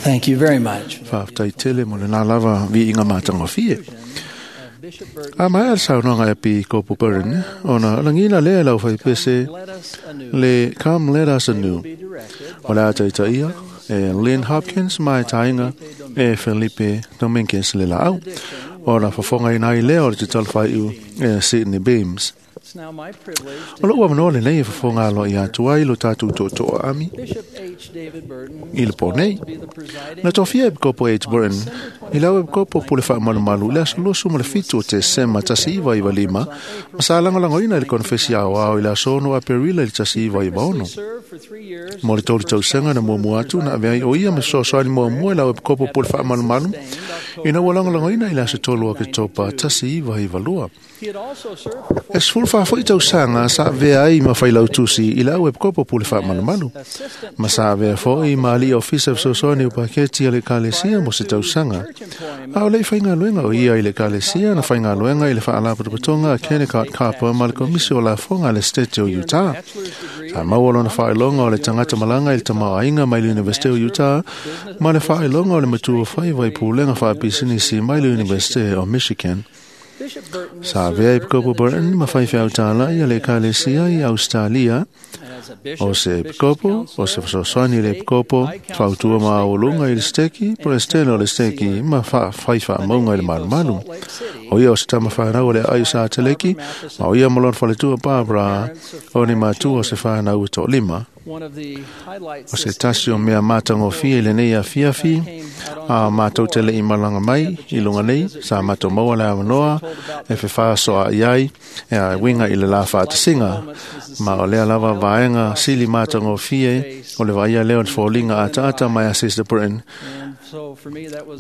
Thank you very much. Faafetai tele mo lena lava viiga matagofie. A maea le saunoaga e Epikopo Burton, ona lagiina lea e le aufaipese le Come Let Us Anew. O le a taitaia e Lynn Hopkins ma e taina e Felipe Dominguez le laau. Ona fofogaina ai lea o le tatalafaiu e Sydney Beams. O lou avanoa lenei e fofoga aloaia atu ai lo tatou tootoo aami i le po nei. Na tofia e Epikopo H. Burton i le au Epikopo pule faamalumalu i le aso 27 o Tesema 1995 ma sa lagolagoina i le konefesi aoao i le aso 6 Aperila i le 1996. Mo le 3 tausaga na muamua atu na avea ai o ia ma fesoasoani muamua i le au Epikopo pule faamalumalu ina ua lagolagoina i le aso 3 Oketopa 1992. E 14 foi tausaga sa avea ai ma failautusi i le au Epikopo pule faamalumalu ma sa avea foi ma alii ofisa fesoasoani o paketi a le Ekalesia mo se tausaga. A o le i faigaluega o ia i le Ekalesia na faigaluega i le faalapotopotoga a Kennecott Copper ma le Komisi o Lafoga a le State o Utah. Sa maua lona faailoga o le tagata malaga i le tamaoaiga mai le Universite o Utah ma le faailoga o le matua faiva i pulega faapisinisi mai le Universite o Michigan. Sa avea Epikopo Burton ma faifeau tālai a le Ekalesia i Australia o se Epikopo, o se fesoasoani i le Epikopo, fautua maualuga i le steki, peresetene o le steki ma fai faamauga i le malumalu. O ia o se tama whanau o le ai sa teleki, ma o ia ma lona faletua Barbara, o ni matua o se whanau e toalima. O se tasi o mea matagofie i lenei afiafi, a matou te le'i malaga mai i luga nei, sa matou maua le avanoa e fefasoa'i ai e a uiga i le la faatasiga. Ma o lea lava vaega sili matagofie o le vaaia lea o le foliga ataata mai a Sister Burton.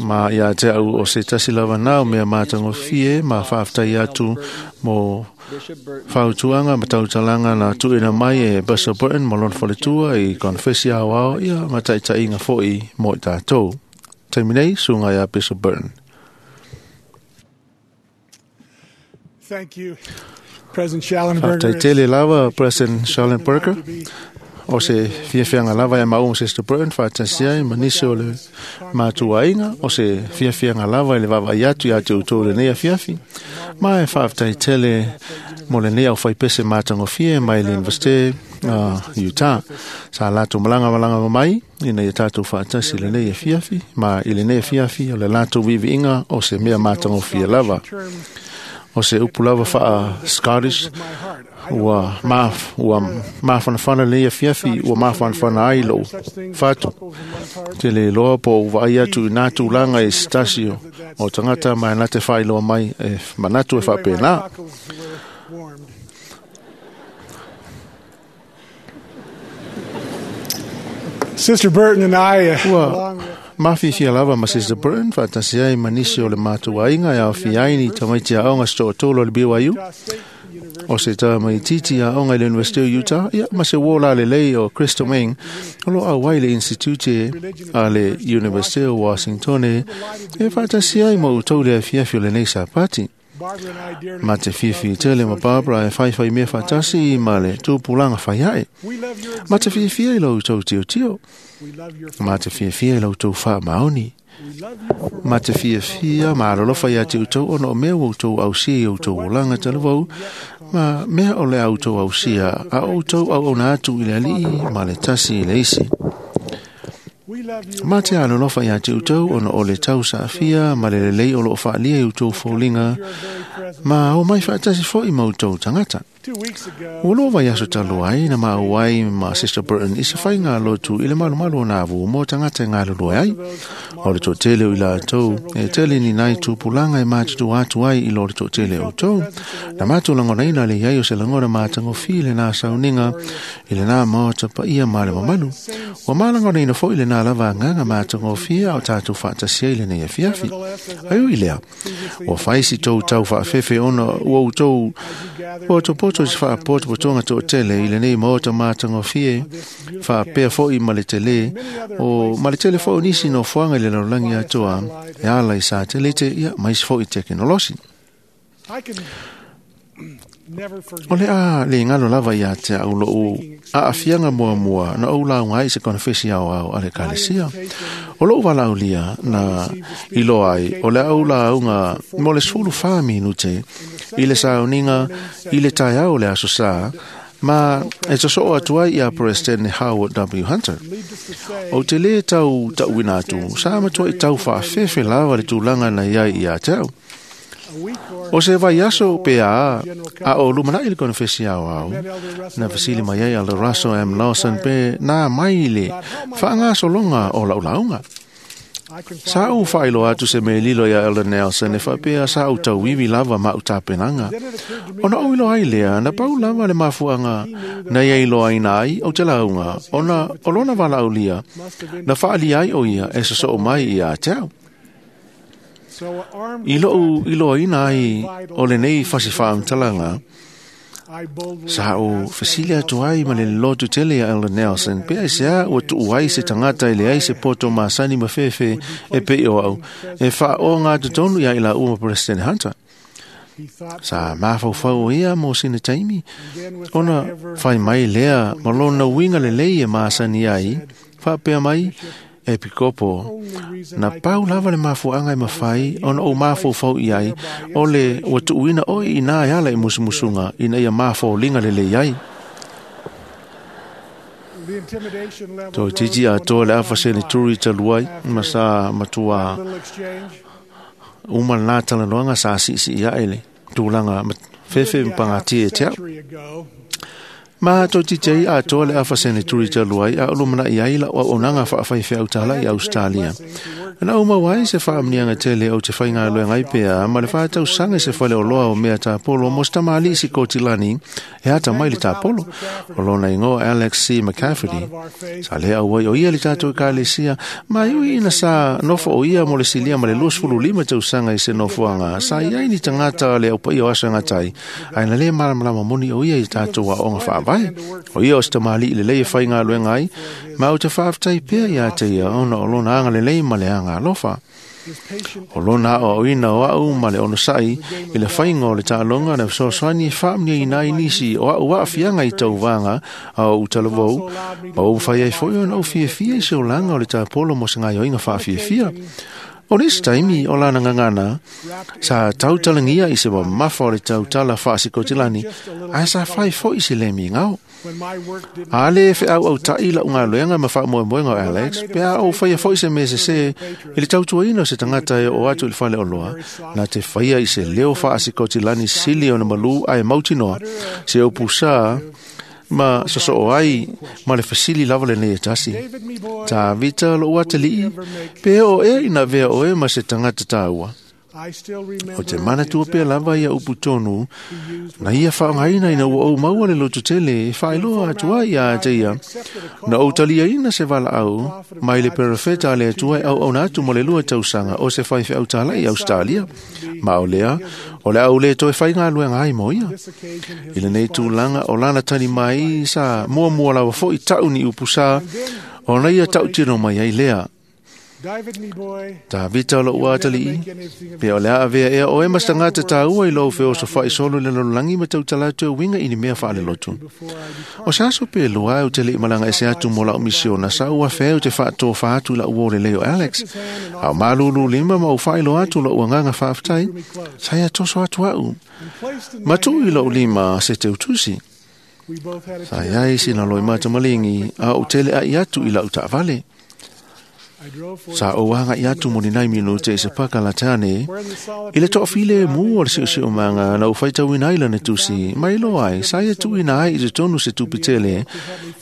Ma ia te au o se tasi lava na o mea matagofie ma faafetai atu mo fautuaga ma tautalaga na tuuina mai e Bishop Burton ma lona faletua i konefesi aoao ia ma taitaiga fo'i mo i tatou. Taimi nei, suga iā Bishop Burton. Thank you, President Schallenberger. Faafetai tele lava President Schallenberger. O se fiafiaga lava e maua ma Sister Burton faatasi ai ma nisi o le matuaiga o se fiafiaga lava i le vaavaai atu iā te outou lenei afiafi. Ma e faafetai tele mo lenei aufaipese matagofie mai le Universite Utah. Sa latou malaga malaga mai ina ia tatou faatasi i lenei afiafi ma i lenei afiafi o le latou viiviiga o se mea matagofie lava. O se upu lava faa Scottish ua mafanafana lenei afiafi ua mafanafana ai lou fatu. Te le iloa po o vaai atu i nā tulaga i se tasi o tagata ma e na te faailoa mai e manatu e faapena. Sister Burton and I, Ua along with mafifia lava ma Sister Burton faatasi ai ma nisi o le matuaiga e aofia ai ni tamaiti aoga se toatolu o le BYU Utah State University o se tamaititi aoga i le Universite o Utah ia ma se uō lalelei o Crystal Ming o lo auai le Institute a le Universite o Washington e faatasi ai ma outou le afiafi o lenei Sapati. Barbara and I dearly Ma te fiafia tele ma Barbara e faifai mea faatasi ma le tupulaga faiae. We love your Ma te fiafia i lo outou tiotio. We love your Ma te fiafia i lo outou faamaoni. We love you for Ma te fiafia ma alolofa ia te outou ona o mea ua outou ausia i outou olaga talavou ma mea o le a outou ausia a outou auauna atu i le alii ma le tasi i le isi. We love you Ma te alolofa ia te outou ona o le tausaafia ma le lelei o loo faalia i outou foliga your very presence. ma o mai faatasi fo'i ma outou tagata. 2 weeks ago, Ua loa vaiaso talu ai na maua ai ma Sister Burton i se faiga lotu i le malumalu o nā vu mo tagata e galulue ai. O le toatele o i latou e tele ni nai tupulaga e matutua atu ai i lo le toatele o outou. Na matou lagonaina le iai o se lagona matagofie i lenā sauniga i lenā maota paia ma le mamalu. Ua malagonaina fo'i lenā lava agaga matagofie a o tatou faatasi ai lenei afiafi. Ai ui lea, ua fai si tou tau faafefe ona ua outou potopoto i se faapotopotoga toatele i lenei maota matagofie faapea fo'i ma le telē o ma le tele fo'i o nisi nofoaga i le lalolagi atoa e ala i satelite ia ma isi fo'i tekenolosi. I can O le a le galo lava ia te au lou aafiaga muamua na ou lauga ai i se konefesi aoao a le Ekalesia. O lou valaaulia na iloa ai o le a ou lauga mo le 14 minute i le sauniga i le taeao o le Aso Sa ma e sosoo atu ai ia Peresetene Howard W. Hunter. Ou te lē tau taʻuina atu sa matuaʻi tau faafefe lava le tulaga na iai ia te au. O se vaiaso pe a a o lumanaʻi le konefesi aoao na fesili mai ai a le Russell M. Lawson pe na mai le faagasologa o lau lauga. Sa ou faailoa atu se mea lilo ia Elder Nelson e faapea sa ou tauivi lava ma au tapenaga. Ona ou iloa ai lea na pau lava le mafuaga na ia iloaina ai ou te lauga ona o lona valaaulia na faaalia ai o ia e sosoo mai ia te au. I lou iloaina ai o lenei fasi faamatalaga, sa ou fesili atu ai ma le lotu tele ia Elder Nelson pe aisea ua tuu ai se tagata e leai se poto masani ma fefe e pei o au e faaoga totonu ia i laua ma President Hunter. Sa mafaufau o ia mo sina taimi ona fai mai lea ma lona uiga lelei e masani ai faapea mai e pikopo na pau lava le mafuaga e mafai ona ou mafaufau i ai o le ua tuuina oe i ina e ala i musumusuga ina ia mafoliga lelei ai. Toeitiiti atoa le afa seneturi talu ai ma sa matuā uma lenā talanoaga sa siisii aʻe le tulaga fefe ma pagatia e te au. Ma toeitiiti ai atoa le afa seneturi talu ai a o lumanaʻi ai lau auaunaga faafaifeau talai Ausetalia. Na ou maua ai se faamanuiaga tele ou te faigaluega ai pea ma le faatausaga i se faleoloa o mea tapolo mo se tamalii Sikotilani e ata mai le tapolo. O lona igoa Alex C. McCafferty. Sa lē auai o ia le tatou Ekalesia ma e ui ina sa nofo o ia mo le silia ma le 25 tausaga i se nofoaga sa i ai ni tagata a le aupaia o aso e gatai ae na lē malamalama moni o ia i tatou aoga faavae. O ia o se tamalii lelei e faigaluega ai ma ou te faafetai pea iā te ia ona o lona agalelei ma le aga alofa. O lona aoaoina o au ma le onosaʻi i le faiga o le taaloga na fesoasoani e faamanuiaina ai nisi o au aafiaga i tauvaga a ou talavou ma ua mafai ai foi ona ou fiafia i se olaga o le tapolo mo se gaoioiga faafiafia. O le isi taimi o lana gagana sa tautalagia i se mamafa o le tautala faasikotilani ae sa fai foi i se lē migao. A lē feʻauʻautaʻi laʻu galuega ma faamoemoega o Alex pe a ou faia foi se mea sesē i le tautuaina o se tagata e oo atu i le faleoloa na te faia i se leo faasikotilani sili ona malū ae mautinoa se upu sa ma sosoo ai ma le fesili lava lenei e tasi. Tavita lou atalii pe oo ea ina avea oe ma se tagata taua. O te manatua pea lava ia upu tonu na ia faaaogaina ina ua ou maua le lotu tele e faailoa atu ai ia te ia na ou taliaina se valaau mai le perofeta a le Atua e auauna atu mo le 2 tausaga o se faifeau talai i Ausetalia. Ma o lea o le a ou lē toe faigaluega ai mo ia. I lenei tulaga o lana tali mai sa muamua lava foʻi taʻu ni upu sa ona ia taʻutino mai ai lea. Tavita lou atalii pe o le a avea ea oe ma se tagata taua i lou feosofaʻi solo i le lalolagi ma tautala atu e uiga i ni mea faalelotu. O se aso pe lua e ou te leʻi malaga ese atu mo laʻu misiona sa ou afea ou te faatofa atu i laʻu uō lelei o Alex. A o malūlū lima ma ou faailoa atu loʻu agaga faafetai sa ia toso atu aʻu. Ma tuu i loʻu lima se teutusi. Sa iai sina loimata maligi a ou teleʻaʻi atu i laʻu taʻavale. Sa ou agaʻi atu mo ni nai minute i se paka latane i le toafilemu o le seoseomaga na ou faitauina ai lana tusi ma iloa ai sa ia tuuina ai i totonu se tupe tele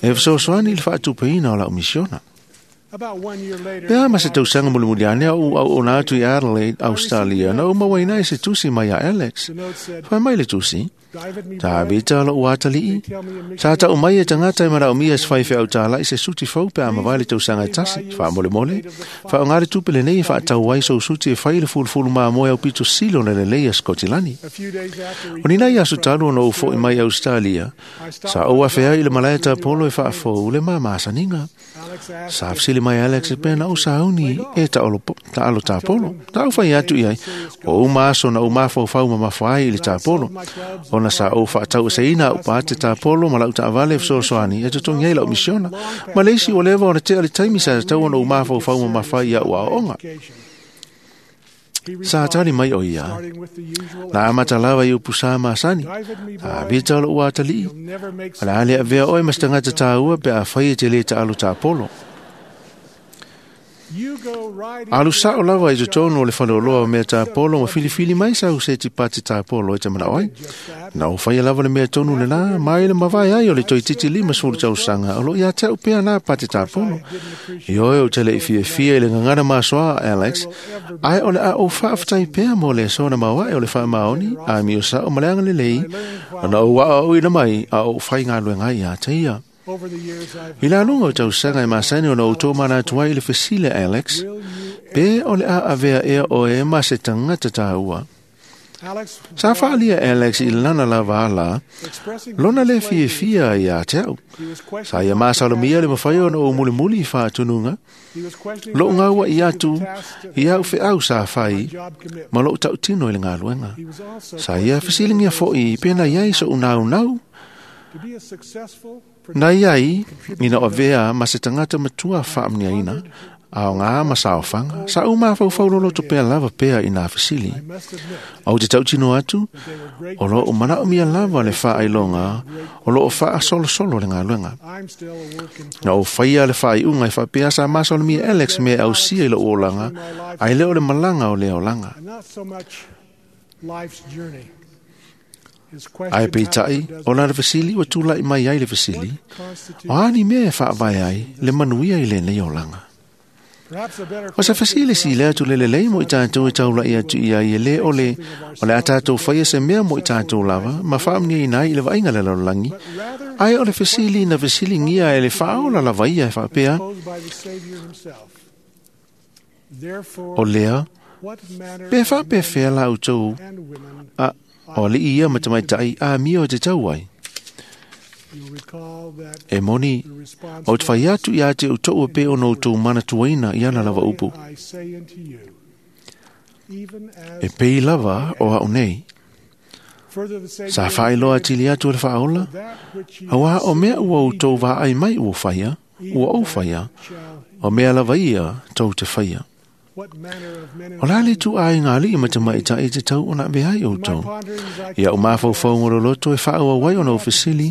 e fesoasoani i le faatupeina o lau misiona. Pe a ma se tausaga mulimuli ane au auauna atu i Adelaide, Australia, na ou mauaina ai se tusi mai ia Alex. Fai mai le tusi, Tavita lou atalii, sa taʻu mai e tagata e manaʻomia se faifeau talai se suti fou pe a mavae le tausaga e tasi. Faamolemole, faaaogā le tupe lenei e faatau ai sou suti e fai le fulufulu mamoe au pito sili ona lelei a Sikotilani. O ni nai aso talu ona ou foʻi mai Ausetalia, sa ou afea i le malae tapolo e faafou le mamasaniga. Sa fesili mai Alex e pea na ou sauni e taalo tapolo. Sa ou fai atu i ai, ua uma aso na ou mafaufau mamafa ai i le tapolo. Ona sa ou faataueseina au pate tapolo ma lau taavale e fesoasoani e totogi ai lau misiona. Ma le isi ua leva ona tea le taimi sa tatau ona ou mafaufau mamafa ai i au aoaoga. Sa tali mai o ia. Na amata lava i upu sa masani. A vita o lou atalii. O le a le avea oe ma se tagata taua pe afai e te lē taalo tapolo. Alu sao lava i totonu o le faleoloa o mea tapolo ma filifili mai sau seti pati tapolo e te manao ai. Na ou faia lava le mea tonu lena, ma i le mavae ai o le toeitiiti 50 tausaga o loo ia te au pea na pati tapolo. Ioe ou te le i fiafia i le gagana masoa a Alex, ae o le a ou faafetai pea mo le aso na maoae o le faamaoni, amio sao ma le agalelei, ona ou aoaoina mai a ou faigaluega ai ia te ia. I le aluga o tausaga e masani ona ou tomanatu ai i le fesili a Alex, pe o le a avea ea oe ma se tagata taua. Sa faaalia Alex i lana lava ala, lona le fiafia ia te au. Sa ia masalomia le mafai ona ou mulimuli i faatunuga, lou gaua'i atu i au feau sa fai ma lou tautino i le galuega. Sa ia fesiligia fo'i pe na iai so'u naunau na iai ina o avea ma se tagata matua faamanuiaina, aoga ma saofaga. Sa ou mafaufau loloto pea lava pea i nā fesili. Ou te tautino atu, o loo manaomia lava le faailoga o loo faasolosolo le galuega. Na ou faia le faaiuga e faapea sa masalomia Alex mea e ausia i lou olaga, ae le o le malaga o lea olaga. Ae peitai, o lana fesili ua tulai mai ai le fesili, o a ni mea e faavae ai le manuia i lenei olaga? O se fesili sili atu le lelei mo i tatou e taulai atu i ai e lē o le o le a tatou faia se mea mo i tatou lava ma faamanuiaina ai i le vaaiga le lalolagi, ae o le fesili na fesiligia e le faaola lava ia e faapea, o lea, pe faapefea la outou a o alii ia ma tamaitai amio e te tau ai. E moni, ou te fai atu ia te outou e pei ona outou manatuaina i ana lava upu. E pei lava o au nei. Sa faailoa atili atu e le faaola, auā o mea ua outou vaai mai ua faia, ua ou faia, o mea lava ia tou te faia. O le a le ituaiga alii ma tamaitai e tatau ona avea ai outou. Ia ou mafaufauga o loloto e faaauau ai ona ou fesili,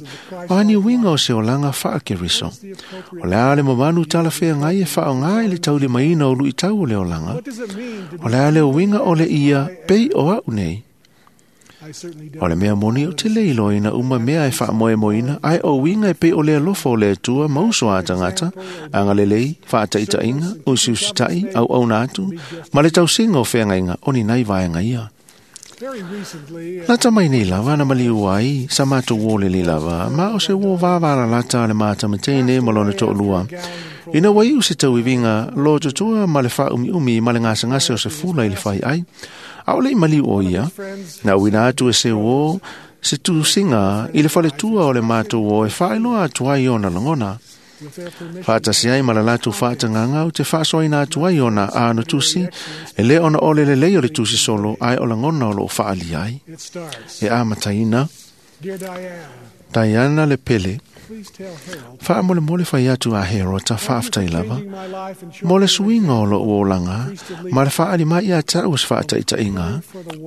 o a ni uiga o se olaga faa-Keriso. O le a le mamalu talafeagai e faaaoga i le taulimaina o luitau o le olaga. O le a le uiga o le ia pei o au nei. O le mea moni ou te le iloaina uma mea e faamoemoeina, ae o uiga e pei o le alofa o le Atua ma uso a tagata, agalelei, faataitaiga, usiusitai, auauna atu, ma le tausiga o feagaiga o ni nai vaega ia. Lata mai nei lava na maliu ai sa matou uo lelei lava, ma o se uo vavalalata a le matamateine ma lona toalua. Ina ua iu se tauiviga lototoa ma le faaumiumi ma le gasegase o se fula i le fai ai, aʻole i maliu o ia, na uina atu e se uō se tusiga i le faletua o le matou uō e faailoa atu ai ona lagona. Faatasi ai ma le latou faatagaga ou te faasoaina atu ai ona ano tusi, e lē ona o le lelei o le tusi solo, ae o lagona o loo faaalia ai. E amataina, Diana le pele, faamolemole fai atu a Herota faafetai lava mo le suiga o lou olaga ma le faaali mai ia te au o se faataitaiga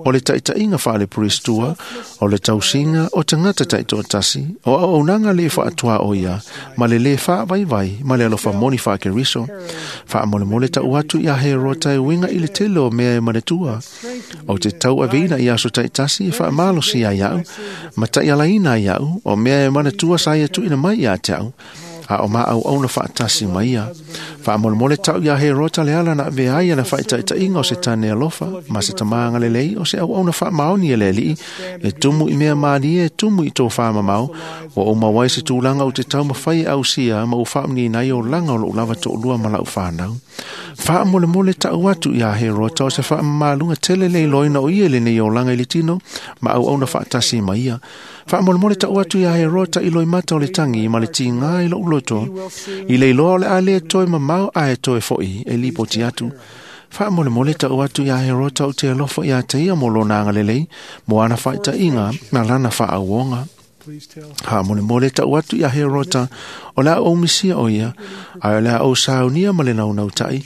o le taitaiga faalepuristua o le tausiga o tagata taitoatasi o auaunaga lē faatuaoia ma le lē faavaivai ma le alofa moni faakeriso. Faamolemole tau atu iā Herota e uiga i le tele o mea e manatua ou te tauaveina i aso taitasi e faamalosi ai au ma taialaina ai au o mea e manatua sa ia tuuina mai ia te au a o maauauna faatasi ma ia. Faamolemole tau iā Herota le ala na avea ai ana faataitaiga o se tane alofa ma se tamā agalelei o se auauna faamaoni e le alii e tumu i mea malie e tumu i tofāmamao ua ou maua ai se tulaga ou te taumafai e ausia ma ou faamanuiaina ai olaga o lou lava toalua ma lau fanau. Faamolemole tau atu iā Herota o se faamamaluga tele le iloaina o ia i lenei olaga i le tino ma auauna faatasi ma ia. Faamolemole tau atu iā Herota i loimata o le tagi ma le tigā i lou loto. loto, i le iloa o le a le toe mamao ae toe fo'i e lipoti atu. Faamolemole ta'u atu iā Herota ou te alofa iā te ia mo lona agalelei, mo ana fa'aita'iga ma lana fa'aauoga. Faamolemole ta'u atu iā Herota, o le a ou misia o ia, ae o le a ou saunia ma le naunauta'i,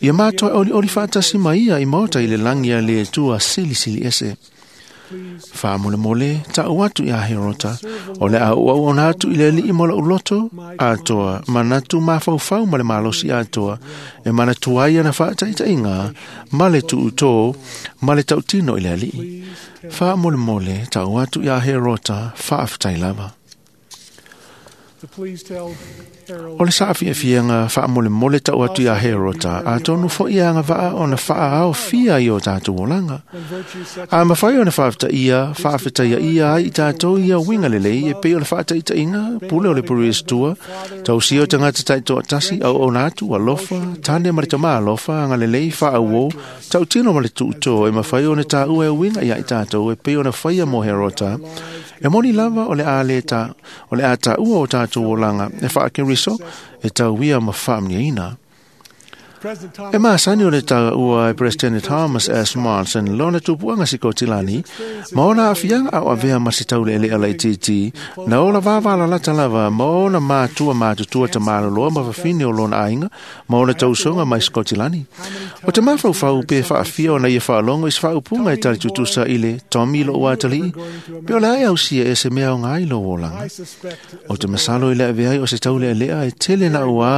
ia matoa e olioli fa'atasi ma ia i maota i le lagi a le Atua silisili ese. Faamolemole ta'u atu iā Herota, o le a ou auauna atu i le Alii ma lo'u loto atoa, manatu mafaufau ma le malosi atoa, e manatua ai ana fa'ataʻitaʻiga ma le tu'utō ma le ta'utino i le Alii. Faamolemole ta'u atu iā Herota, fa'afetai lava. O le saafiafiaga faamolemole ta'u atu iā Herota, atonu fo'i agava'a ona fa'aaofia i o tatou olaga. A mafai ona faafetaia faafetaia ia ai i tatou ia uiga lelei e pei o le fa'ataʻitaʻiga pule o le Puristua, tausia o tagata ta'itoatasi auauna atu alofa, tane ma le tamā alofa, agalelei fa'auō, ta'utino ma le tu'utō e mafai ona tāua e uiga iā i tatou e pei ona faia mo Herota. E moni lava o le a le ta, o le a tāua o tatou olaga e fa'akeriso e tauia ma fa'amaniaina. E masani o le taua e President Thomas S. Monson lona tupuaga Sikotilani, ma ona aafiaga ao avea ma se taule'ele'e laitiiti, na ola vavalalata lava ma ona matua matutua tamaloloa ma fafine o lona aiga, ma ona tausoga mai Sikotilani. O te mafaufau pe fa'afia ona ia fa'alogo i se fa'aupuga e tali tutusa i le Tommy lo'u atalii, pe o le a e ausia e se mea aoga ai lou olaga. O te masalo i le avea ai o se taule'ele'a e tele na uā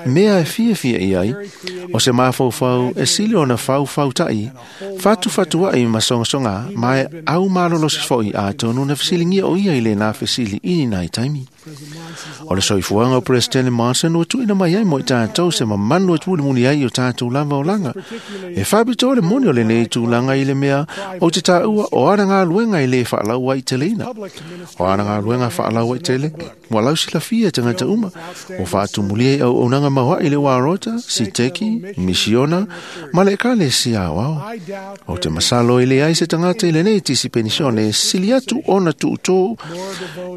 mea e fiafia i ai, o se mafaufau e sili ona faufauta'i, fatufatua'i ma sogasoga, ma e au malolosi fo'i atonu na fesiligia o ia i lenā fesili i nai taimi. O le soifuaga o President Monson ua tu'uina mai ai mo i tatou se mamanu e tulimuli ai o tatou lava olaga. E fa'apitoa le moni o lenei tulaga i le mea o te tāua o ana galuega e lē fa'alau ai teleina. O ana galuega fa'alau ai tele, ua lausilafia e tagata uma, ua fa'atumulia i auaunaga maua'i le uarota, siteki, misiona, ma le ekalesia aoao. O te masalo e leai se tagata i lenei tisi penisione e sili atu ona tu'utō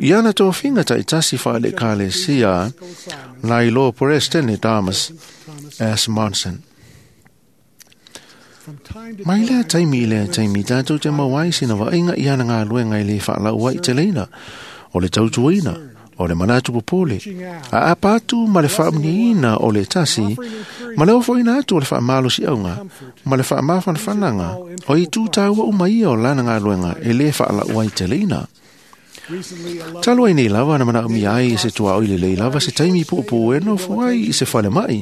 i ana tofiga ta'itasi fa'aleekalesia nai lo President Thomas S. Monson. Mai lea taimi i lea taimi tatou te mau ai sina vaaiga i ana galuega e lē fa'alau ai teleina, o le tautuaina, o le manatu popole, a apa atu ma le fa'amuniaina o le tasi, ma le ofo'ina atu o le fa'amalosi'auga, ma le fa'amafanafanaga, o itu tāua uma ia o lana galuega e lē fa'ala'u ai teleina. Talu ai nei lava na mana'omia ai i se tuaoi lelei lava se taimi pu'upu'u e nofo ai i se falema'i.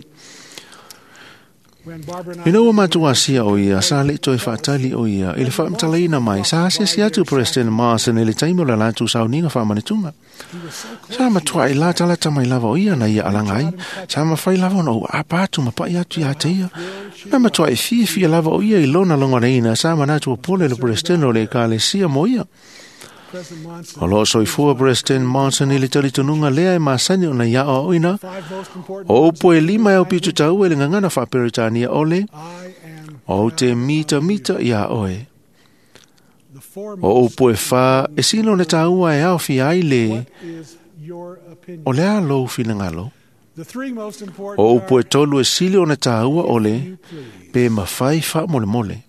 Ina ua matou asia o ia, sa le'i toe fa'atali o ia, i le fa'amatalaina mai, sa asiasi atu President Marson i le taimi o le latou sauniga fa'amanetuga. Sa matua'i latalata mai lava o ia na ia alaga ai, sa mafai lava ona ou apa atu ma pa'i atu iā te ia. Na matua'i fiafia lava o ia i lona logonaina, sa manatu pole le President o le ekalesia mo ia. O loo soifua President Monson i le talitonuga lea e masani ona ia aoaoina, o upu e lima e aupito taua i le gagana faaperetania o le, o te mitamita iā oe. O upu e fā e sila ona taua e aofia ai le, o le a lou finagalo. O upu e tolu e sili ona taua o le, pe mafai faamolemole.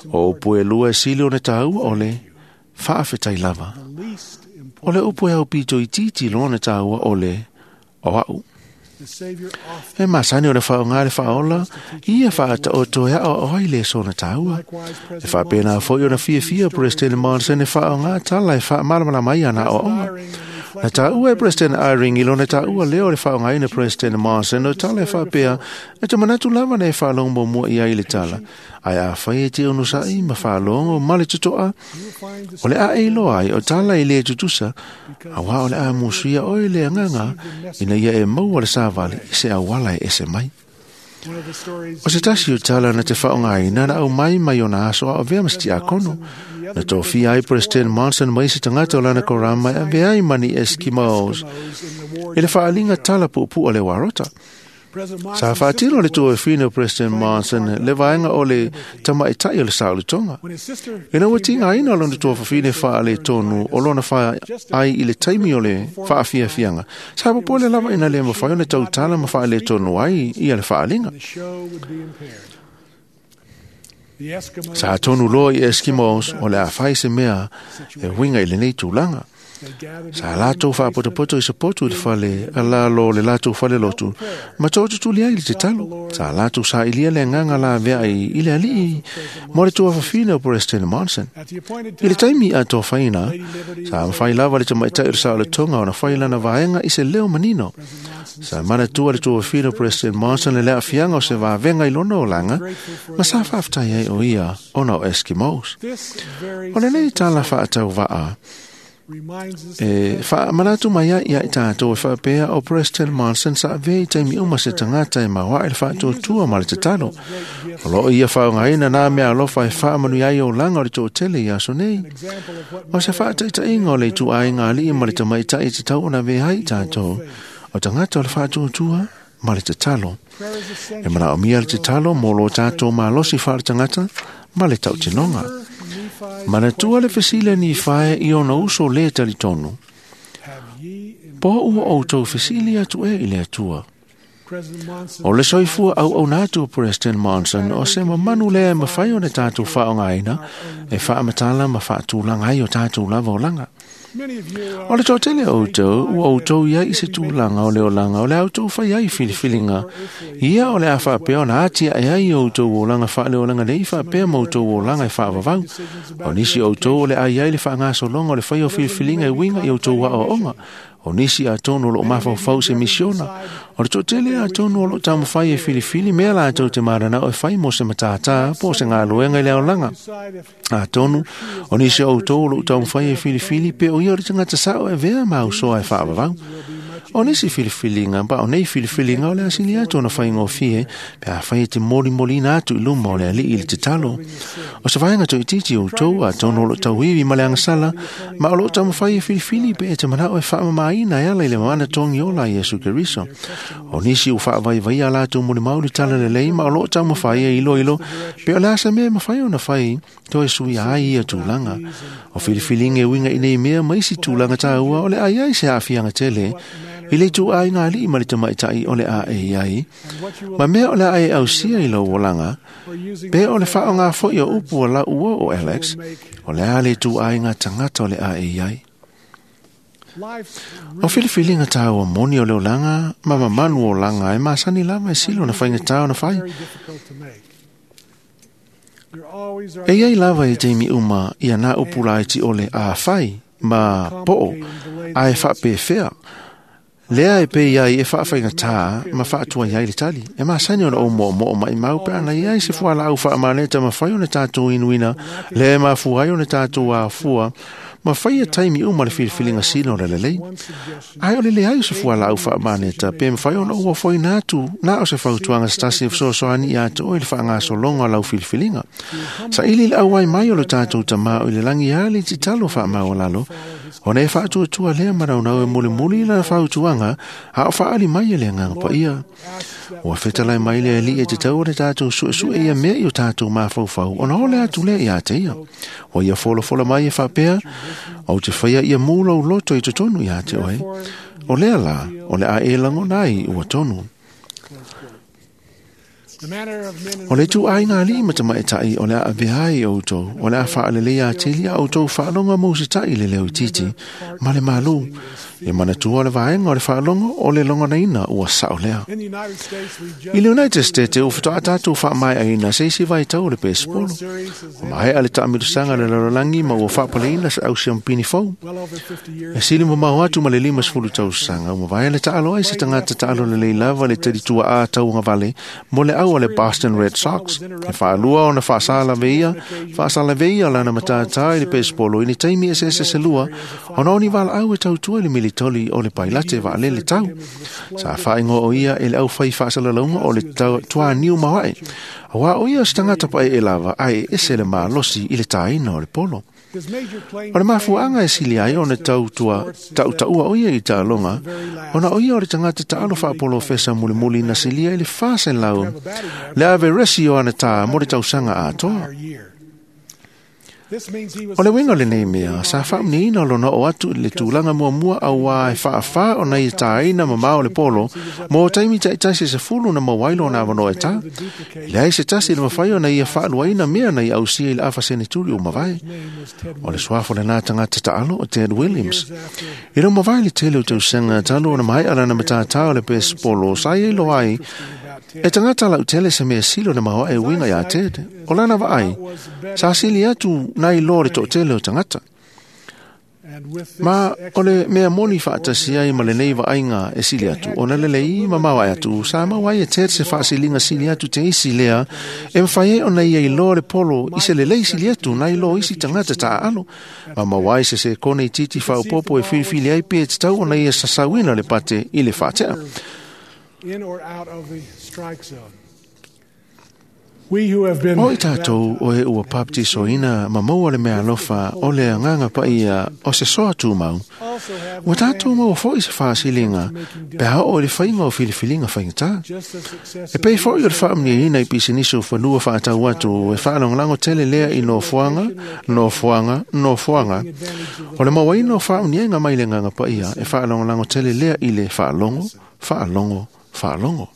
O upu e lua e sili ona taua o le, fa'afetai lava. O le upu e aupito itiiti lona tāua o le, o a'u. E masani o le fa'aoga le fa'aola, ia fa'ata'oto e a'oa'o ai le sona tāua. E fa'apena fo'i ona fiafia President Monson e fa'aoga tala e fa'amalamalama ai ana a'oa'oga. Na tāua e President Eyring i lona tāua lea o le fa'aogaina President Monson o tala e fa'apea e te manatu lava na e fa'alogo muamua i ai le tala. Ae afai e te onosa'i ma fa'alogo ma le toto'a, o le a e iloa ai o tala e lē tutusa, auā o le a musuia oe le agaga ina ia e maua le savali i se auala e ese mai. O se tasi o tala na te fa'aogaina na aumai mai ona aso a'o avea ma se tiakono. Na tofia ai President Monson ma isi tagata o lana korama e avea ai ma ni Eskimos i le fa'aaliga tala pu'upu'u a le uarota. Sa faatino le tuafafine o President Monson le vaega o le tamaitai o le saolotoga. Ina ua tigaina lona tuafafine faaletonu o lona faaai i le taimi o le faafiafiaga, sa popole lava ina le mafai ona tautala ma faaletonu ai ia le faaaliga. Sa tonu loa i Eskimos o le a fai se mea e uiga i lenei tulaga. Sa latou faapotopoto i se potu i le fale alalo o le latou falelotu ma tootutuli ai le tatalo. Sa latou sailia le agaga laveai i le alii mo le tuafafine o President Monson. I le taimi atofaina, sa mafai lava le tamaitai o le saolotoga ona fai lana vaega i se leo manino. Sa manatua le tuafafine o President Monson le aafiaga o se vavega i lona olaga ma sa faafetai ai o ia ona o Eskimos. O lenei tala faatauvaa e faamanatu mai ai ia i tatou e faapea o President Monson sa avea i taimi uma se tagata e maoae le faatuatua ma le tatalo. O loo ia faaaogaina nā mea alofa e faamanuia ai olaga o le toatele i aso nei. O se faataitaiga o le ituaiga alii ma le tamaitai e tatau ona avea ai i tatou o tagata o le faatuatua ma le tatalo. E manaomia le tatalo mo lo tatou malosi faaletagata ma le tautinoga. Manatua le fesili a Nifae i ona uso le talitonu. Po ua outou fesili atu e i le Atua. O le soifua auauna atu o President Monson o se mamanu lea e mafai ona tatou faaaogaina e faamatala ma faatulaga ai o tatou lava olaga. O le toatele o outou, ua outou iai i se tulaga o le olaga o le a outou fai ai filifiliga. Ia o le a faapea ona atiae ai o outou olaga faaleolaga nei faapea ma outou olaga e faavavau. O nisi o outou o le a iai le faagasologa o le fai o filifiliga e uiga i outou aoaoga. O nisi atonu o loo mafaufau se misiona. O le toatele atonu o loo taumafai e filifili mea latou te mananao e fai mo se matātā po o se galuega i le aolaga. Atonu o nisi o outou o loo taumafai e filifili pe o ia o le tagata sao e avea ma ausoa e faavavau. O nisi filifiliga pa o nei filifiliga o le asili atu ona faigofie pe afai e te molimolina atu i luma o le alii i le tatalo. O se vaega toʻitiiti outou atonu o loo tauivi ma le agasala ma o loo taumafai e filifili pe e te manao e faamamaina e ala i le manatogi ola a Iesu Keriso. O nisi ua faavaivaia latou molimau i le tala lelei ma o loo taumafai e iloilo pe o le a se mea e mafai ona fai toe suia ai ia tulaga. O filifiliga e uiga i nei mea ma isi tulaga taua o le a iai se aafiaga tele i le ituaiga alii ma le tamaitai o le a e iai, ma mea o le a e ausia i lou olaga, pe o le faaaoga foi o upu a lau uo o Alex, o le a le ituaiga tagata o le a e iai. O filifiliga taua moni o le olaga ma mamanu o olaga e masani lava e sili ona faigata ona fai. E iai lava i taimi uma ia nā upu laiti o le a fai ma po'o a e faapefea. Lea e pei ai e faafaigata ma faatuai ai le tali. E masani ona ou moomoo maimau pe ana iai se fualaau faamaneta mafai ona tatou inuina, lea e mafua ai ona tatou afua ma faia taimi uma le filifiliga sila o le lelei. Ae o le leai o se fualaau faamaneta pe mafai ona ou ofoina atu na o se fautuaga se tasi e fesoasoani ia te oe i le faagasologa o lau filifiliga. Saili le auai mai o lo tatou Tamā o i le lagi a le tatalo faamaualalo, ona e faatuatua lea manaunau e mulimuli i lana fautuaga a o faaali mai e le Agaga Paia. Ua fetalai mai le alii e tatau ona tatou suesue ia mea i o tatou mafaufau ona ole atu lea ia te ia. Ua ia folafola mai e faapea, ou te faia ia mu lou loto i totonu ia te oe. O lea la, o le a e lagona ai ua tonu. O le ituaiga alii ma tamaitai o le a avea ai outou, o le a faaleleia atili a outou faalogo ma usitai i le leo itiiti ma le malū. E manatua le vaega o le faalogo o le logonaina ua sao lea. I le United States e ua faatoa tatou faamaeaina se isi vaitau o le pesepolo. Ua maea le taamilosaga le lalolagi ma ua faapaleina se au siampini fou. E sili mamao atu ma le 50 tausaga ua mavae le taalo ai se tagata taalo lelei lava le talituaā tauagavale mo le au a le Boston Red Sox. E faalua ona faasalaveia lana matātā i le pesepolo i ni taimi eseese se lua ona o ni valaau e tautua i le militoli o le pailate vaalele tau. Sa faaigoa o ia e le aufai faasalalauga o le tuaniu maoae, auā o ia o se tagata paeae lava ae ese le malosi i le tāina o le polo. O le mafuaaga e sili ai ona tautaua o ia i taaloga, ona o ia o le tagata taalo faapolofesa mulimuli na silia i le 400 le averesi o ana tā mo le tausaga atoa. O le uiga o lenei mea, sa faamuniaina lona oo atu i le tulaga muamua auā e faafā ona ia tāina mamao le polo mo taimi taitasi e 10 na maua ai lona avanoa e tā. E leai se tasi le mafai ona ia faaluaina mea na ia ausia i le afa seneturi ua mavae. O le suafa o lenā tagata taalo o Ted Williams. I le mavae le tele o tausaga talu ona maea lana matatā o le pesepolo sa ia iloa ai e tagata lautele se mea sili ona maoae uiga iā Ted. O lana vaai, sa sili atu nai loa le toatele o tagata. Ma o le mea moni faatasi ai ma lenei vaaiga e sili atu, ona lelei ma maoae atu, sa maua ai e Ted se faasiliga sili atu te isi lea, e mafai ai ona ia iloa le polo i se lelei sili atu nai loa isi tagata taaalo, ma maua ai se sekone itiiti faaopoopo e filifili ai pe tatau ona ia sasauina le pate i le faatea. In or out of the strike zone. We who have been O i tātou o e ua baptisoina ma maua le mea alofa o le agaga paia o se soa tumau, also have ua tātou maua foi se faasiliga pe a oo i le faiga o filifiliga faigata. just the success E pei foi o le faamuniaina i pisinisi o fanua faatau atu e faalagolago tele lea i nofoaga, nofoaga, nofoaga. O le mauaina o faamuniaga mai le agaga paia e faalagolago tele lea i le faalogo, faalogo, faalogo.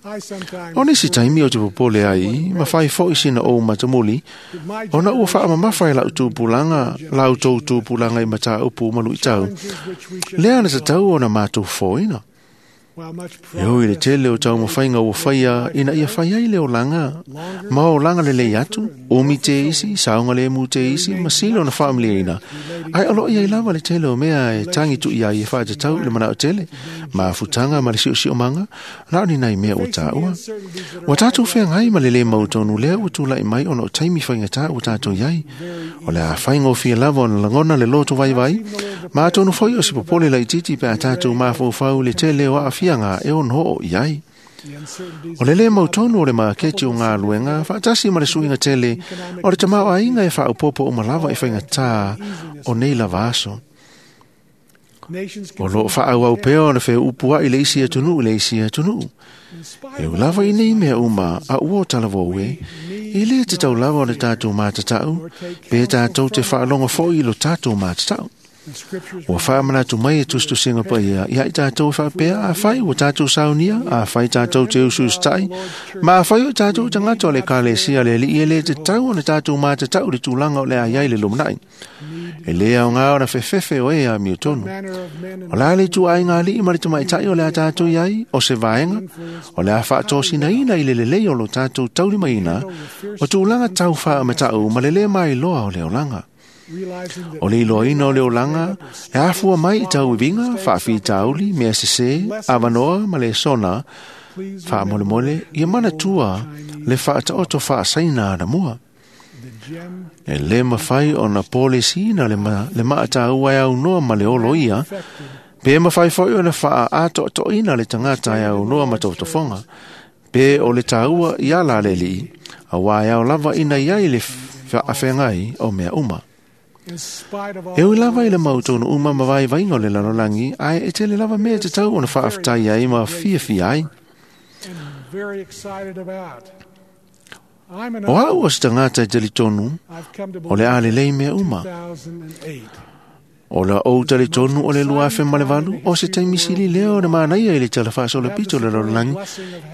I sometimes O nisi taimi o te popole ai, ma fai foi sina ou matamuli, my ona ua faamamafa e lau tupulaga, lau tou tupulaga i mataupu ma luitau. challenges which we should Lea na tatau ona mātou foina. while much E oi le progress tele o taumafaiga ua faia ina ia fai ai le olaga, ma olaga lelei atu, umi te isi, saoga lemu te isi, ma sili ona faamaliaina. Ai o loo iai lava le tele o mea e tangi tui ai e faatatau i le manao tele, ma futanga ma le siosiomaga, na o ni nai mea ua tāua. Ua tātou feagai ma le lē mautonu lea ua tula'i mai ona o taimi faigata ua tātou iai. O le a faigofie lava ona lagona le loto vaivai, ma atonu foi o se popole laitiiti pe a tātou mafaufau i le tele o aafiaga e ono oo i ai. the uncertainties O le lē mautonu o le maketi o galuega faatasi ma le suiga tele o le tamaoaiga e faaopoopo uma lava i faigatā o nei lava aso. nations O loo faaauau pea ona feuupu ai le isi atunuu i le isi atunuu. in spite E ua lava i nei mea uma a ua o talavou e, e lē tatau lava ona tātou matatau, pe tātou te faalogo foi i lo tātou matatau. the scriptures Ua faamanatu mai e tusitusiga paia ia i tātou e faapea afai ua tātou saunia, afai tātou te usuusitai, ma afai o tātou tagata o le ekalesia le alii e lē tatau ona tātou matatau i le tulaga o le a iai le lumanai. E lē aogā ona fefefe o e amio tonu. manner of men and O le a le ituaiga alii ma le tamaitai o le a tātou iai, o se vaega, o le a faatosinaina i le lelei o lo tātou taulimaina, o tulaga tau faamatau ma le lē mailoa o le olaga. realizing that O le iloaina o le olaga, e afua mai i tauiviga, faafitauli, mea sesē, avanoa ma le sona, please faamolemole, ia manatua le faataoto faasaina anamua. the gem E lē mafai ona polesiina le, le maataua e aunoa ma le olo ia, affected pe mafai foi ona faaatoatoina le tagata e aunoa ma tofotofoga, pe o le tāua i ala le alii, auā e ao lava ina iai le faafeagai o mea uma. in spite of all E ui lava i le mautonu uma ma vaivaiga o le lalolagi, ae e tele lava mea e tatau ona faafetai ai ma fiafia ai. and very excited about. I'm an O au o se tagata e talitonu, I've come to o le believe a lelei mea uma. 2008 O la ou talitonu o le 2008, o se taimi sili lea o le manaia i le tala faasolopito o le lalolagi,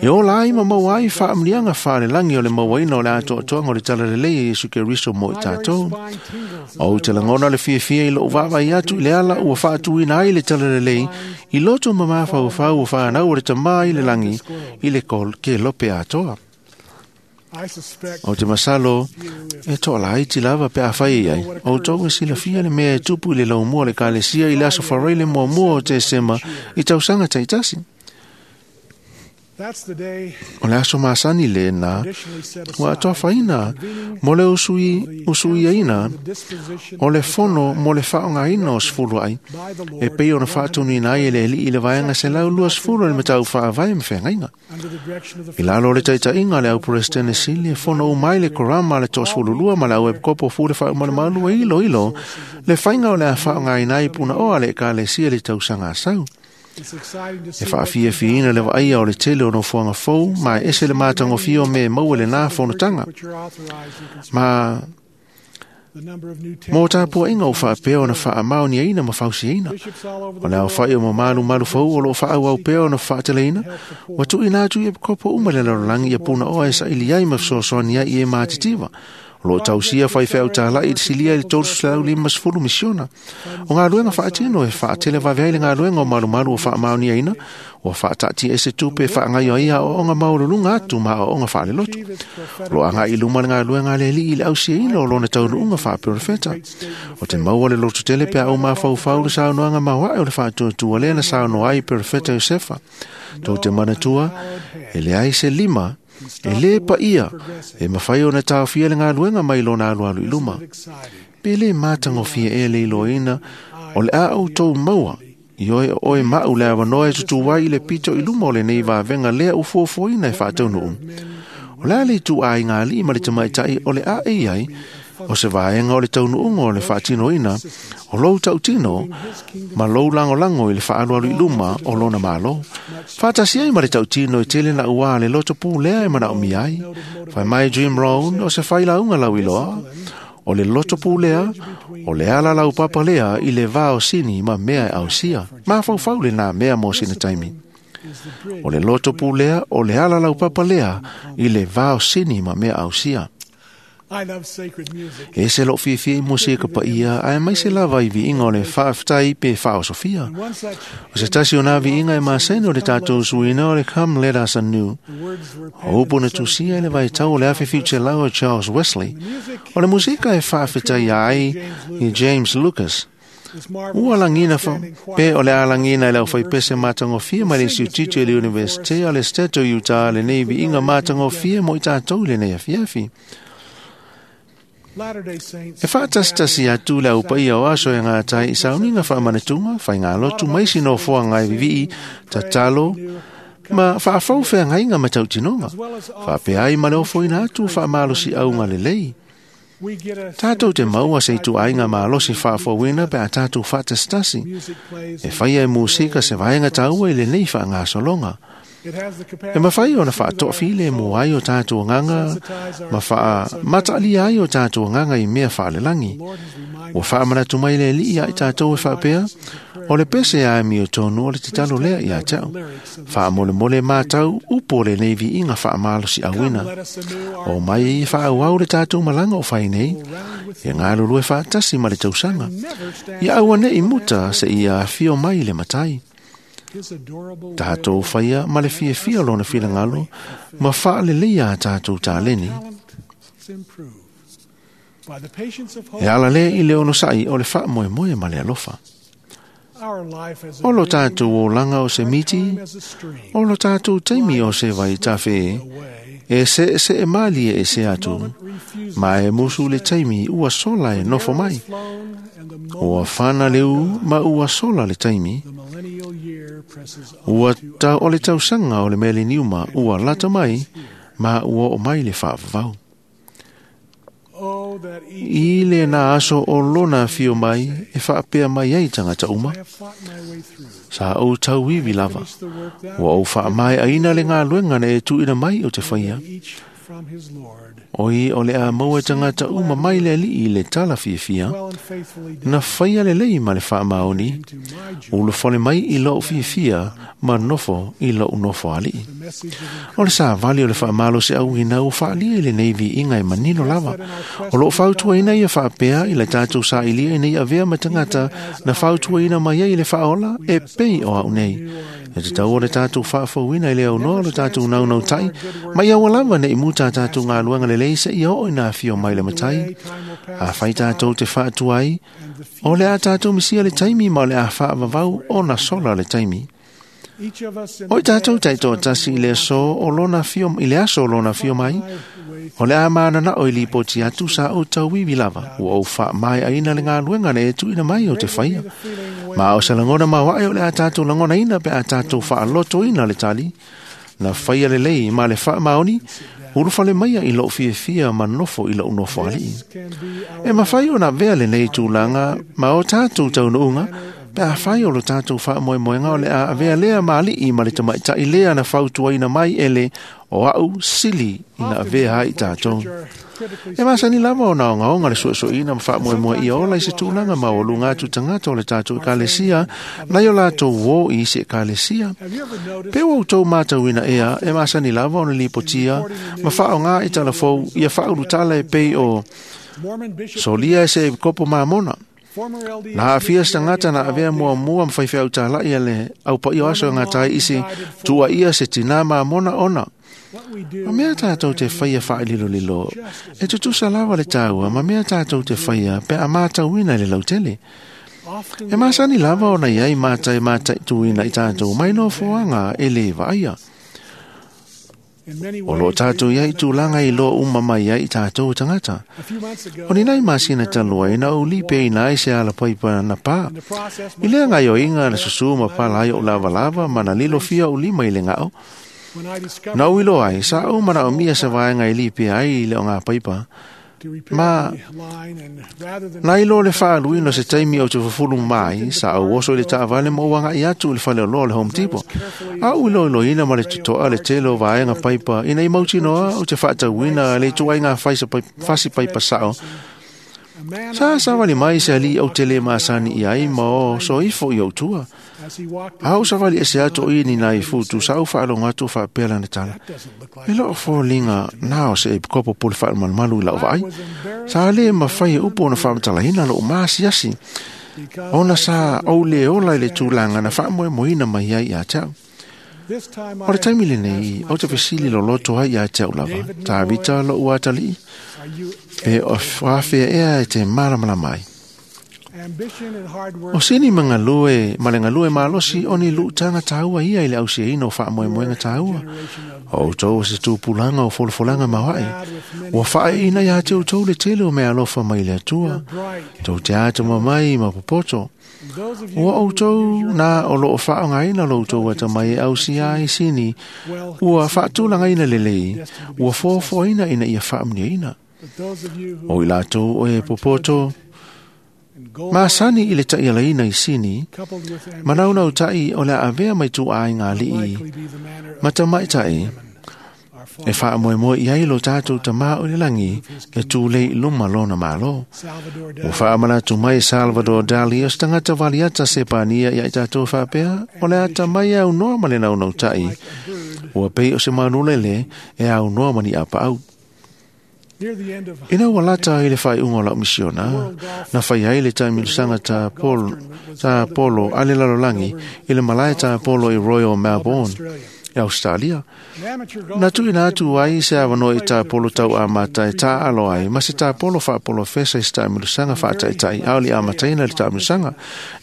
e ola ai ma maua ai faamuliaga faalelagi o le mauaina o le atoatoaga o le talalelei e Iesu Keriso mo i My very tātou. spine tingles as O I te lagona le fiafia i lou vaavaai atu i le ala ua faatuina ai le talalelei i loto ma mafaufau o whanau o le tamā i le langi i le ke lope atoa. I suspect O te masalo e toa laiti lava pe a whai ai. O tau e silafia le mea e tupu i le laumua le kalesia i le aso wharai le muamua o Tesema i tausaga taitasi. O le aso masani lena ua atoafaina mo le usuiaina o le fono mo le faaaogaina o sefulu ai e pei ona faatonuina ai e le Alii i le vaega 120 o le Mataupu Faavae ma Feagaiga. I lalo o le taitaiga a le au Peresetene Sili e fono uma ai le Korama a le 12 ma le au Epikopo Fule Faaumalemalu e iloilo le faiga o le a faaaogaina ai punaoa a le Ekalesia i le tausaga asau. E faafiafiaina le vaaia o le tele o nofoaga fou ma e ese le matagofie o mea e maua i lenā fonotaga. Ma mo tapuaiga ua faapea ona faamaoniaina ma fausiaina. O le aofai o mamalumalu fou o loo faaauau pea ona faateleina, ua tuuina atu i epikopo uma i le lalolagi ia punaoa e saili ai ma fesoasoani ai i e matitiva. O loo tausia faifeau talai i le silia i le 350 misiona. O galuega faatino e faatelevave ai le galuega o malumalu ua faamaoniaina, ua faataatia ese tupe e faagaio ai aoaoga maualuluga atu ma aoaoga faalelotu. O loo agai i luma le galuega a le Alii i le ausiaina o lona taunuuga faaperofeta. O te maua le lototele pe a ou mafaufau le saunoaga maoae o le faatuatua lea na saunoa ai perofeta Iosefa. Tou te manatua, e leai se lima e lē paia e mafai ona taofia le galuega mai lona alualu i luma. Pe lē matagofie ea le iloaina o le a outou maua i oe o oe maʻu le avanoa e tutū ai i le pito i luma o lenei vavega lea ua fuafuaina e faataunuu. O le a le ituaiga alii ma le tamaitai o le a e i ai o se vaega o le taunuuga o le faatinoina o lou tautino ma lou lagolago i le faaalualu i luma o lona Malo. Faatasi ai ma le tautino e tele na uā le loto pulea e manaomia ai. Fai mai Jim Rohn o se failauga lauiloa, o le loto pulea, o le ala laupapa lea i le va o sini ma mea e ausia. Mafaufau lenā mea mo sina taimi. O le loto pulea, o le ala laupapa lea i le va o sini ma mea ausia. E se loo fiafia i musika paia, ae mai se lava i viiga o le faafetai pe faaosofia. O se tasi o nā viiga e masani o le tatou suiina o le Come Let Us Anew. O upu na tusia i le vaitau o le 1700 o Charles Wesley. O le musika e faafetaia ai i James Lucas. Ua lagina pe o le alagina i le aufaipese matagofie mai le Instituto i le Universite o le State o Utah lenei viiga matagofie mo i tatou i lenei afiafi. E faatasitasi atu le aupaia o aso e gatai i sauniga faamanatuga, faigalotu ma isi nofoaga e vivii, tatalo ma faafou feagaiga ma tautinoga. Faapea ai ma le ofoina atu o faamalosiauga lelei. Tatou te maua se ituaiga malosi faafouina pe a tatou faatasitasi. E faia e musika se vaega taua i lenei faagasologa. E mafai ona faatoafilemu ai o tatou agaga ma faamataalia ai o tatou agaga i mea faalelagi. Ua faamanatu mai le Alii ia i tatou e faapea, o le pese a amiotonu o le tatalo lea ia te au. Faamolemole matau upu o lenei viiga faamalosiauina. O mai e faaauau le tatou malaga o fai nei, e galulue faatasi ma le tausaga. Ia auaneʻi muta seia afio mai le matai. Tatou faia ma le fiafia o lona finagalo ma faaleleia a tatou taleni. E ala lea i le onosai o le faamoemoe ma le alofa. O lo tatou olaga o se miti, o lo tatou taimi o se vaitafe, e seesee malie e se atu, ma e musu le taimi ua sola e nofo mai. Ua fana le u ma ua sola le taimi. Ua tau o le tausaga o le meleniuma ua lata mai ma ua oo mai le faavavau. I lenā aso o lona afio mai e faapea mai ai tagata uma. Sa ou tauivi lava. Ua ou faamaeaina le galuega na e tuuina mai o te faia. Oi o le a maua e tagata uma mai le Alii i le tala fiafia, na faia lelei ma le faamaoni, ulufale mai i lou fiafia ma nofo i lou nofo alii. O le savali o le faamalosiauina ua faalia i lenei viiga e manino lava. O loo fautuaina ia faapea i le tatou sailia ina ia avea ma tagata na fautuaina mai ai i le faaola e pei o au nei. E tatau o le tatou faafouina i le aunoa o le tatou naunautai, ma ia ua lava nei muta a tatou galuega lelei seia oo ina afio mai le matai. Afai tatou te faatuai, o le a tatou misia le taimi ma o le a faavavau ona sola le taimi. O i tātou taitoatasi i le aso o lona fio, i le aso o lona fio mai, o le a manana o i lipoti atu sa o tauiwi lava, ua ou faamaeaina le galuega na e tuuina mai o te faia. Ma o se lagona maoae o le a tātou lagonaina pe a tātou faalotoina le tali, na faia lelei ma le faamaoni, ulufale maia i lou fiafia ma nofo i lou nofoalii. E mafai ona avea lenei tulaga ma o tātou taunuuga, pe afai o lo tātou faamoemoega o le a avea lea ma alii ma le tamaitai lea na fautuaina mai e le o au sili ina avea ai tātou. E masani lava ona ogaoga le suesueina ma faamoemoe ia ola i se tulaga maualuga atu tagata o le tātou ekalesia nai o latou uō i isi ekalesia. Pe ua outou matauina ea e masani lava ona lipotia ma faaogā i talafou ia faaulutala e pei o solia e se kopo mamona. Na aafia se tagata na avea muamua ma faifeau talai a le aupaia o aso e gata ai i se tuuaia se tinā mamona ona. Ma mea tātou te faia faalilolilo, e tutusa lava le tāua ma mea tātou te faia pe a mātauina i le lautele. E masani lava ona iai mata e mataituina i tātou mai nofoaga e lē vaaia. O loo tātou iai tulaga i loa uma mai ai i tātou tagata. O ni nai masina talu ai na ou lipeina ai se alapaipa na pā. I lea gaioiga na susū ma pala ai ou lavalava ma na lilofia ou lima i le gao. Na ou iloa ai, sa ou manaomia se vaega e lipea ai i le ogapaipa. Ma na iloa le faaluina o se taimi ou te fufulu mai, sa ou oso i le taavale ma ou agai atu i le faleoloa o le Home Depot. A ou iloiloina ma le totoa le tele o vaega paipa ina i mautinoa ou te faatauina le ituaiga fasi paipa sao. Sa savali mai se alii ou te le masani i ai ma o soifo i ou tua. A ou savali ese atu o i ni nai futu sa ou faalogo atu o faapea lana tala. E loo foliga na o se epikopo po le faamalumalu i lau vaai. Sa le mafai e upu ona faamatalaina lou maasiasi. Ona sa ou le ola i le tulaga na faamoemoeina mai ai ia te au. O le taimi lenei, ou te fesili loloto ai ia te au lava, Tavita lou atalii, pe o afea ea e te malamalama ai. O sini ma galue, ma le galue malosi o ni luutaga taua ia i le ausiaina o faamoemoega taua. O outou o se tupulaga o folafolaga maoae. Ua faaeina ia te outou le tele o meaalofa mai le Atua. Tou te atamamai ma popoto. Ua outou na o loo faaaogaina lo outou atamai e ausia ai sini, ua faatulagaina lelei, ua foafoaina ina ia faamuniaina. O i latou o e popoto, masani i le ta'ialaina i sini, manaunautai o le a avea mai tuuaiga alii ma tamaita'i e faamoemoe i ai lo tātou Tamā o le lagi e tulei i luma lona Mālō. Ua faamanatu mai Salvador Dali o se tagata valiata Sepania ia i tātou faapea, o le atamai e aunoa ma le naunautai, ua pei o se manulele e aunoa ma ni apaau. Ina ua lata ai le faaiuga o lau misiona, na fai ai le taamilosaga ta polo a le lalolagi i le malae ta polo i Royal Melbourne, e Australia. Na tuuina atu ai se avanoa i tapolo tauamata e taaalo ai ma se tapolo faapolofesa i se taamilosaga faataitai a o le amataina le taamilosaga.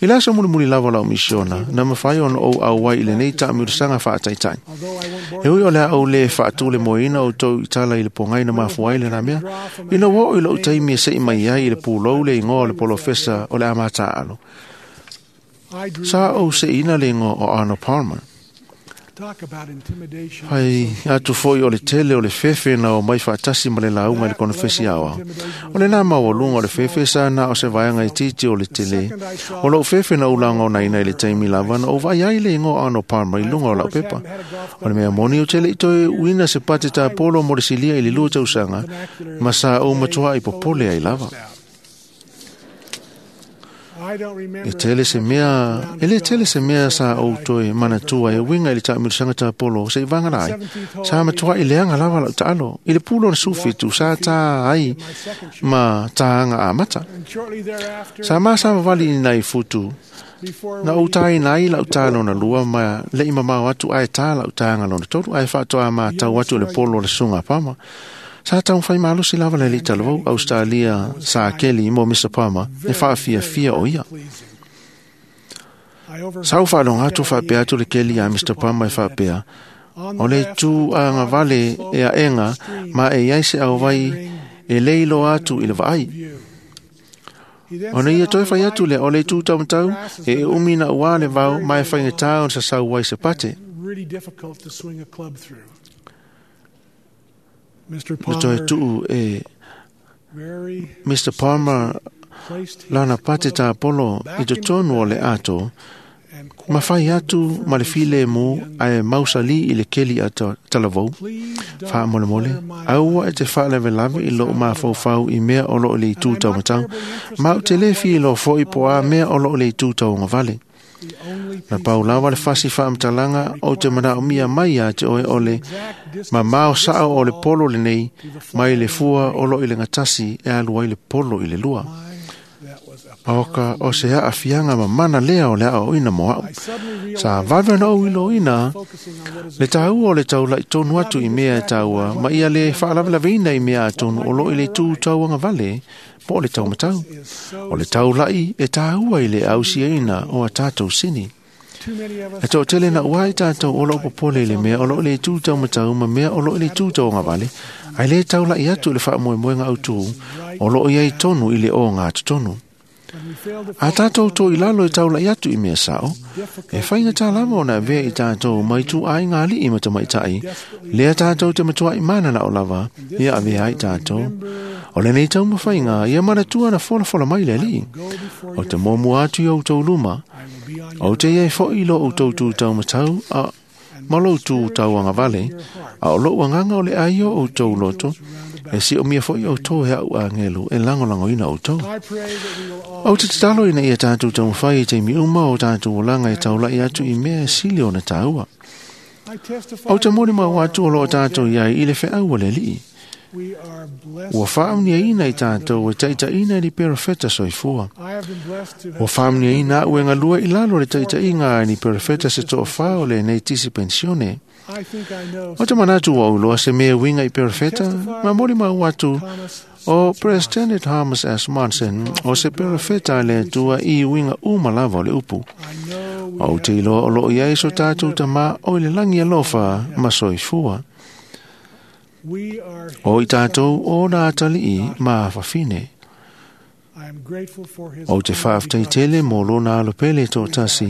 I le aso mulimuli lava o lau misiona, na mafai ona ou auai i lenei taamilosaga faataitai. E ui o le a ou lē faatulemoeina outou i tala i le pogai na mafua ai lena mea, ina ua oo i lou taimi e se'i mai ai i le pulou le igoa o le polofesa o le a mataaalo. Sa ou se'iina le igoa o Arnold Palmer. Fai atu foi o le tele o le fefe na omai faatasi ma le lauga i le konofesi aoao. O lenā maualuga o le fefe sa na o se vaega itiiti o le tele. O lou fefe na ou lagonaina i le taimi lava na ou vaai ai le igoa o Arnold Palmer i luga o lau pepa. O le mea moni ou te le i toe uina se pate tapolo mo le silia i le 2 tausaga, ma sa ou matuai popole ai lava. E tele se mea, e le tele se mea sa ou toe manatua e uiga i le taamilosaga tapolo se'i vagana ai. Sa matua'i leaga lava lau taalo. I le pulo o le 17 sa tā ai ma tāaga amata. Sa masavavali i nai futu. Na ou tāina ai lau tā lona lua ma le'i mamao atu ae tā lau tāga lona tolu ae faatoa matau atu i le polo o le susuga a Palmer. Sa taumafai malosi lava le alii talavou Australia sa Kelly mo Mr Palmer e faafiafia o ia. Sa ou faaloga atu faapea atu le keli a Mr. Palmer e faapea, o le itu agavale e aega ma e iai se auvai e le iloa atu i le vaai. Ona ia toe fai atu lea o le itu taumatau e umi na ua le vao ma e faigata ona sasau ai se pate. Na toe tuu e Mr. Palmer lana pate tapolo i totonu o le ato, ma fai atu ma le filemu ae mausali i le keli a talavou. Faamolemole, aua e te faalavelave i lou mafaufau i mea o loo le itu taumatau, ma ou te le filoa foi po o a mea o loo le itu tauagavale. Na pau lava le fasi faamatalaga ou te manaomia mai ia te oe o le mamao sao o le polo lenei mai le fua o loo i le gatasi e alu ai le polo i le lua. Oka o se aafiaga mamana lea o le aoaoina mo a'u. Sa vave ona ou iloina le taua o le taula'i tonu atu i mea e taua ma ia le faalavelaveina i mea atonu o loo i le itu tauagavale po o le taumatau. O le taula'i e taua i le ausiaina o a tatou sini. E toatele na ua ai tatou o loo popole i le mea o loo i le itu taumatau ma mea o loo i le itu tauagavale, ae lē taula'i atu i le faamoemoega autū o loo iai tonu i le ogatotonu. A tatou to i lalo e taula'i atu i mea sao, e faigata lava ona avea i tatou mai ituaiga alii ma tamaitai, lea tatou te matuai mananao lava ia avea ai tatou. O lenei taumafaiga ia manatua na folafola mai le Alii. O te muamua atu i outou luma, ou te iai foi i lo outou tu taumatau a ma lou tu tauagavale, a o lou agaga o le ai o outou loto, e siomia foi outou e a'u agelu e lagolagoina outou. Ou te tatalo ina ia tatou taumafai i taimi uma o tatou olaga e taula'i atu i mea e sili ona taua. Ou te molimau atu o loo tatou iai i le feau a le Alii. Ua faamuniaina i tatou e taitaiina i ni perofeta soifua. Ua faamuniaina a'u e galue i lalo o le taitaiga a ni perofeta se toafā o lenei tisi pensione. O te manatu ua ou iloa se mea uiga i perofeta, ma molimau atu o President Thomas S. Monson o se perofeta a le Atua i uiga uma lava o le upu. Ou te iloa o loo iai so tatou tamā o i le lagi alofa ma soifua. O i tatou o na atalii ma afafine. Ou te faafetai tele mo lona alopele toatasi,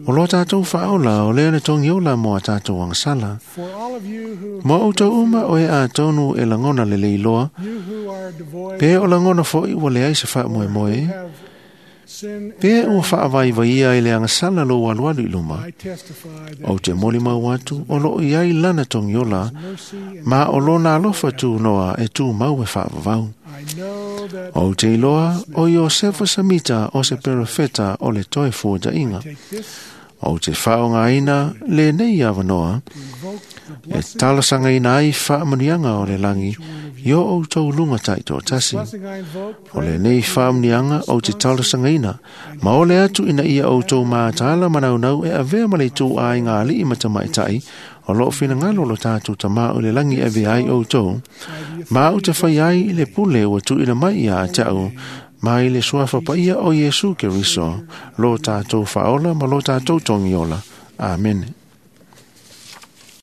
o lo tatou faaola o lea na togiola mo a tatou agasala. Mo outou uma o e atonu e lagona lelei loa, pe o lagona foi ua leai se faamoemoe, pe ua faavaivaia i le agasala lou alualu i luma. Ou te molimau atu o loo iai lana togiola, ma o lona alofa tunoa e tumau e faavavau. Ou te iloa o Iosefa Samita o se perofeta o le toe fuata'iga. Ou te faaaogaina lenei avanoa e talosagaina ai faamanuiaga o le lagi i o outou luga taitoatasi. O lenei faamanuiaga ou te talosagaina ma ole atu ina ia outou mataala manaunau e avea ma le ituaiga alii ma tamaitai o loo finagalo lo tatou tamā o le lagi e avea ai outou, ma ou te fai ai i le pule ua tuuina mai ia te a'u mai le suafa paia o Iesu Keriso, lo tatou faaola ma lo tatou togiola. Amene.